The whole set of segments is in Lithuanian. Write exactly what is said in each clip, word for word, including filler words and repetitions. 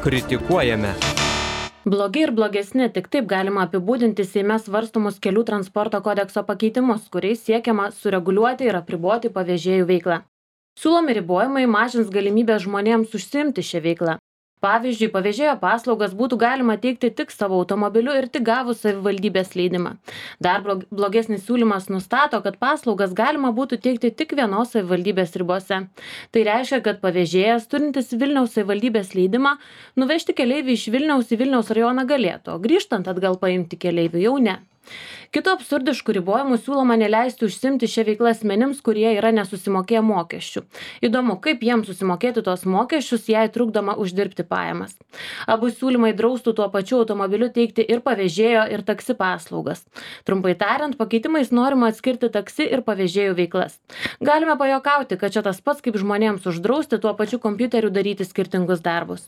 Kritikuojame. Blogi ir blogesni, tik taip galima apibūdinti Seime svarstomus kelių transporto kodekso pakeitimus, kuriais siekiama sureguliuoti ir apriboti pavėžėjų veiklą. Siūlomi ribojimai mažins galimybę žmonėms užsiimti šią veiklą. Pavyzdžiui, pavėžėjo paslaugas būtų galima teikti tik savo automobiliu ir tik gavus savivaldybės leidimą. Dar blogesnis siūlymas nustato, kad paslaugas galima būtų teikti tik vienos savivaldybės ribose. Tai reiškia, kad pavėžėjas, turintis Vilniaus savivaldybės leidimą, nuvežti keleivį iš Vilniaus į Vilniaus rajoną galėtų, o grįžtant atgal paimti keleivį jau ne. Kitų absurdiškų ribojimų siūloma neleisti užsimti šią veiklą asmenims, kurie yra nesusimokėję mokesčių. Įdomu, kaip jiems susimokėti tos mokesčius, jei trukdoma uždirbti pajamas. Abu siūlymai draustų tuo pačiu automobiliu teikti ir pavėžėjo, ir taksi paslaugas. Trumpai tariant, pakeitimais norima atskirti taksi ir pavėžėjų veiklas. Galime pajokauti, kad čia tas pats kaip žmonėms uždrausti tuo pačiu kompiuteriu daryti skirtingus darbus.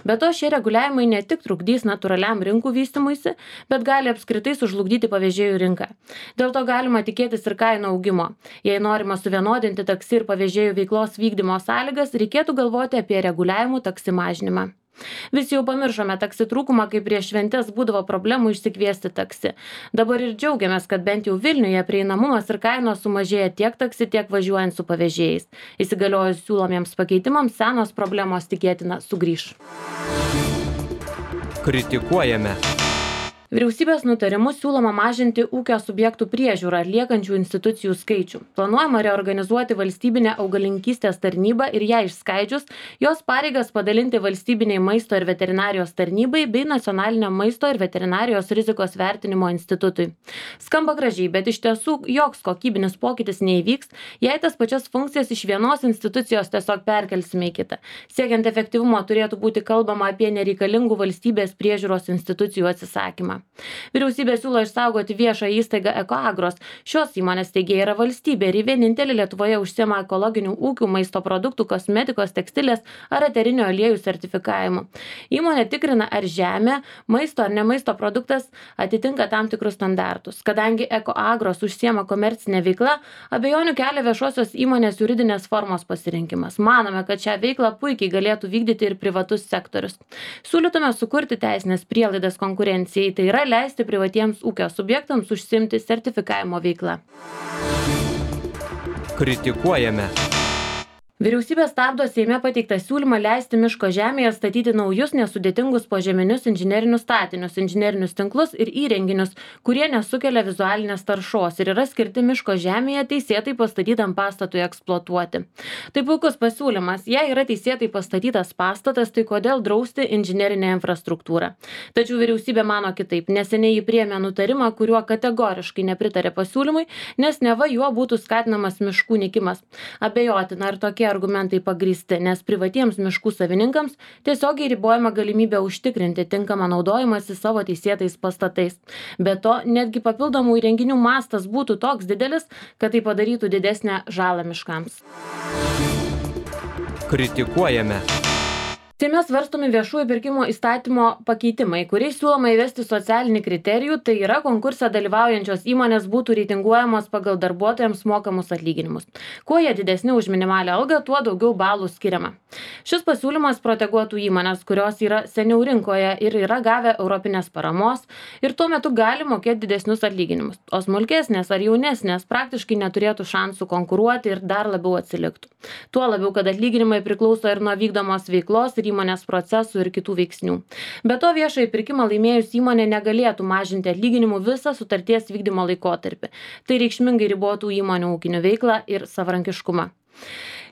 Be to, šie reguliavimai ne tik trukdys natūraliam rinkų vystymuisi, bet gali apskritai sužlugdyti pavėžėjų rinką. Dėl to galima tikėtis ir kainų augimo. Jei norima suvienodinti taksi ir pavėžėjų veiklos vykdymo sąlygas, reikėtų galvoti apie reguliavimų taksi mažinimą. Visi jau pamiršome taksi trūkumą, kai prieš šventes būdavo problemų išsikviesti taksi. Dabar ir džiaugiamės, kad bent jau Vilniuje prieinamumas ir kainos sumažėja tiek taksi, tiek važiuojant su pavėžėjais. Įsigaliojus siūlomiems pakeitimams, senos problemos tikėtina sugrįš. Kritikuojame. Vyriausybės nutarimu siūloma mažinti ūkio subjektų priežiūrą atliekančių institucijų skaičių. Planuojama reorganizuoti valstybinę augalininkystės tarnybą ir ją išskaidžius, jos pareigas padalinti valstybiniai maisto ir veterinarijos tarnybai bei nacionaliniam maisto ir veterinarijos rizikos vertinimo institutui. Skamba gražiai, bet iš tiesų joks kokybinis pokytis neįvyks, jei tas pačias funkcijas iš vienos institucijos tiesiog perkelsime į kitą. Siekiant efektyvumo turėtų būti kalbama apie nereikalingų valstybės priežiūros institucijų atsisakymą. Vyriausybė siūlo išsaugoti viešą įstaigą Ekoagros. Šios įmonės steigėja yra valstybė ir ji vienintelė Lietuvoje užsiema ekologinių ūkių, maisto produktų, kosmetikos, tekstilės ar eterinio aliejų sertifikavimu. Įmonė tikrina, ar žemė, maisto ar ne maisto produktas atitinka tam tikrus standartus. Kadangi Ekoagros užsiema komercinę veiklą, abejonių kelia viešosios įmonės juridinės formos pasirinkimas. Manome, kad šią veiklą puikiai galėtų vykdyti ir privatus sektorius. Siūlytume sukurti teisinės prielaidas konkurencijai, tai yra leisti privatiems ūkio subjektams užsiimti sertifikavimo veiklą. Kritikuojame. Vyriausybė stabdo Seime pateiktą siūlymą leisti miško žemėje statyti naujus nesudėtingus požeminius inžinerinius statinius, inžinerinius tinklus ir įrenginius, kurie nesukelia vizualinės taršos ir yra skirti miško žemėje teisėtai pastatytam pastatui eksploatuoti. Tai puikus pasiūlymas. Jei yra teisėtai pastatytas pastatas, tai kodėl drausti inžinerinę infrastruktūrą? Tačiau vyriausybė mano kitaip. Neseniai jį priėmė nutarimą, kuriuo kategoriškai nepritarė pasiūlymui, nes neva juo būtų skatinamas miškų nykimas. Abejotina, ar tokie argumentai pagrįsti, nes privatiems miškų savininkams tiesiogiai ribojama galimybė užtikrinti tinkamą naudojimąsi savo teisėtais pastatais. Be to, netgi papildomų įrenginių mastas būtų toks didelis, kad tai padarytų didesnę žalą miškams. Kritikuojame. Seime svarstomi viešųjų pirkimų įstatymo pakeitimai, kuriais siūloma įvesti socialinį kriterijų, tai yra konkurse dalyvaujančios įmonės būtų reitinguojamos pagal darbuotojams mokamus atlyginimus. Kuo jie didesni už minimalią algą, tuo daugiau balų skiriama. Šis pasiūlymas proteguotų įmonės, kurios yra seniau rinkoje ir yra gavę europinės paramos ir tuo metu gali mokėti didesnius atlyginimus. O smulkesnės ar jaunesnės praktiškai neturėtų šansų konkuruoti ir dar labiau atsiliktų. Tuo labiau, kad atlyginimai priklauso ir nuo vykdomos veiklos ir įmonės procesų ir kitų veiksnių. Be to, viešąjį pirkimą laimėjus įmonė negalėtų mažinti atlyginimų visą sutarties vykdymo laikotarpį. Tai reikšmingai ribotų įmonių ūkinių veiklą ir savarankiškumą.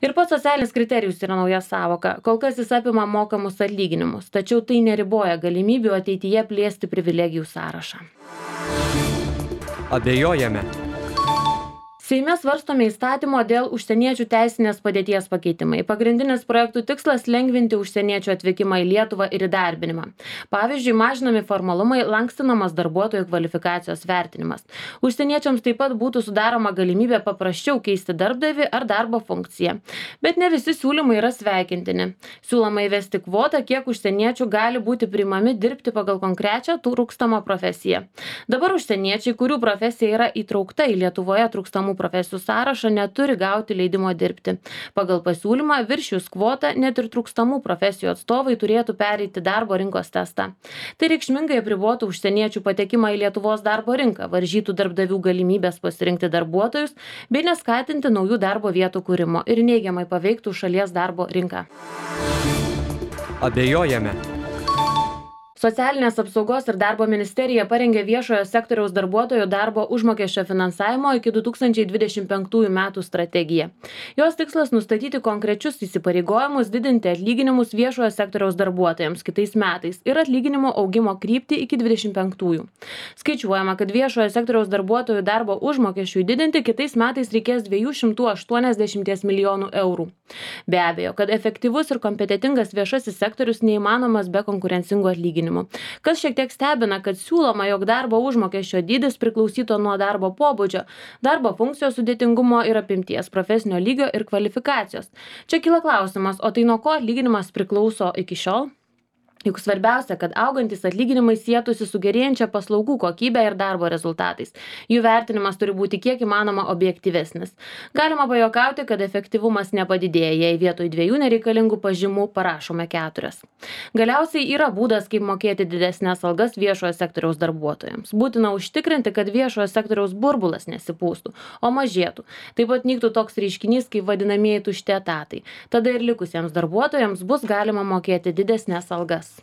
Ir pats socialinis kriterijus yra nauja sąvoka. Kol kas jis apima mokamus atlyginimus, tačiau tai neriboja galimybių ateityje plėsti privilegijų sąrašą. Abejojame. Seime svarstomi įstatymo dėl užsieniečių teisinės padėties pakeitimai. Pagrindinis projektų tikslas – lengvinti užsieniečių atvykimą į Lietuvą ir įdarbinimą. Pavyzdžiui, mažinami formalumai, lankstinamas darbuotojų kvalifikacijos vertinimas. Užsieniečiams taip pat būtų sudaroma galimybė paprasčiau keisti darbdavį ar darbo funkciją. Bet ne visi siūlymai yra sveikintini. Siūloma įvesti kvotą, kiek užsieniečių gali būti priimami dirbti pagal konkrečią trūkstamą profesiją. Dabar užsieniečiai, kurių profesija yra įtraukta į Lietuvoje trūkstamų profesijų sąrašą, neturi gauti leidimo dirbti. Pagal pasiūlymą viršijus kvotą net ir trūkstamų profesijų atstovai turėtų pereiti darbo rinkos testą. Tai reikšmingai apribotų užsieniečių patekimą į Lietuvos darbo rinką, varžytų darbdavių galimybės pasirinkti darbuotojus bei neskatinti naujų darbo vietų kūrimo ir neigiamai paveiktų šalies darbo rinką. Abejojame. Socialinės apsaugos ir darbo ministerija parengė viešojo sektoriaus darbuotojų darbo užmokesčio finansavimo iki du tūkstančiai dvidešimt penktųjų metų strategiją. Jos tikslas nustatyti konkrečius įsipareigojimus didinti atlyginimus viešojo sektoriaus darbuotojams kitais metais ir atlyginimo augimo kryptį iki dvidešimt penktųjų. Skaičiuojama, kad viešojo sektoriaus darbuotojų darbo užmokesčiui didinti kitais metais reikės dviejų šimtų aštuoniasdešimties milijonų eurų. Be abejo, kad efektyvus ir kompetentingas viešasis sektorius neįmanomas be konkurencingų atlyginimų. Kas šiek tiek stebina, kad siūloma, jog darbo užmokesčio dydis priklausytų nuo darbo pobūdžio, darbo funkcijos sudėtingumo ir apimties, profesinio lygio ir kvalifikacijos. Čia kyla klausimas, o tai nuo ko atlyginimas priklauso iki šiol? Juk svarbiausia, kad augantis atlyginimai sietųsi su gerėjančia paslaugų kokybė ir darbo rezultatais. Jų vertinimas turi būti kiek įmanoma objektyvesnis. Galima pajokauti, kad efektyvumas nepadidėja, jei vietoj dviejų nereikalingų pažymų parašome keturias. Galiausiai yra būdas, kaip mokėti didesnės algas viešojo sektoriaus darbuotojams. Būtina užtikrinti, kad viešojo sektoriaus burbulas nesipūstų, o mažėtų. Taip pat nyktų toks reiškinys, kaip vadinamieji tušti etatai. Tada ir likusiems darbuotojams bus galima mokėti didesnės algas.